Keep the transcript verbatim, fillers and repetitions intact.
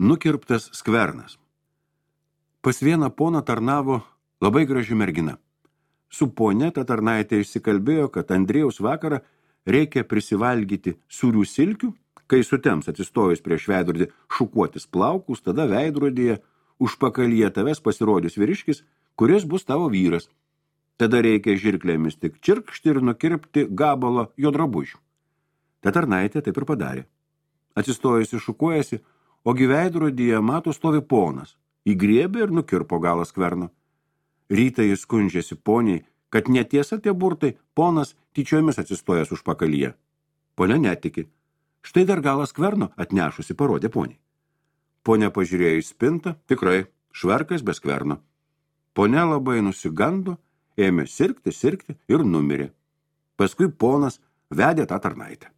Nukirptas skvernas. Pas vieną poną tarnavo labai graži mergina. Su ponė ta tarnaitė išsikalbėjo, kad Andrėjaus vakarą reikia prisivalgyti sūrių silkių, kai sutems atsistojus prieš veidrodį šukuotis plaukus, tada veidrodyje užpakalyje tavęs pasirodys vyriškis, kuris bus tavo vyras. Tada reikia žirklėmis tik čirkšti ir nukirpti gabalą jo drabužių. Ta tarnaitė taip ir padarė. Atsistojusi šukuojasi, ogi veidrodyje mato stovi ponas. Įgriebė ir nukirpo galą skverno. Rytą jis skundžiasi poniai, kad netiesa tie burtai, ponas tyčiomis atsistojęs užpakalyje. Ponia netiki. Štai dar galą skverno atnešusi parodė poniai. Ponia pažiūrėjo į spintą, tikrai, švarkas be skverno. Ponia labai nusigando, ėmė sirgti, sirgti ir numirė. Paskui ponas vedė tą tarnaitę.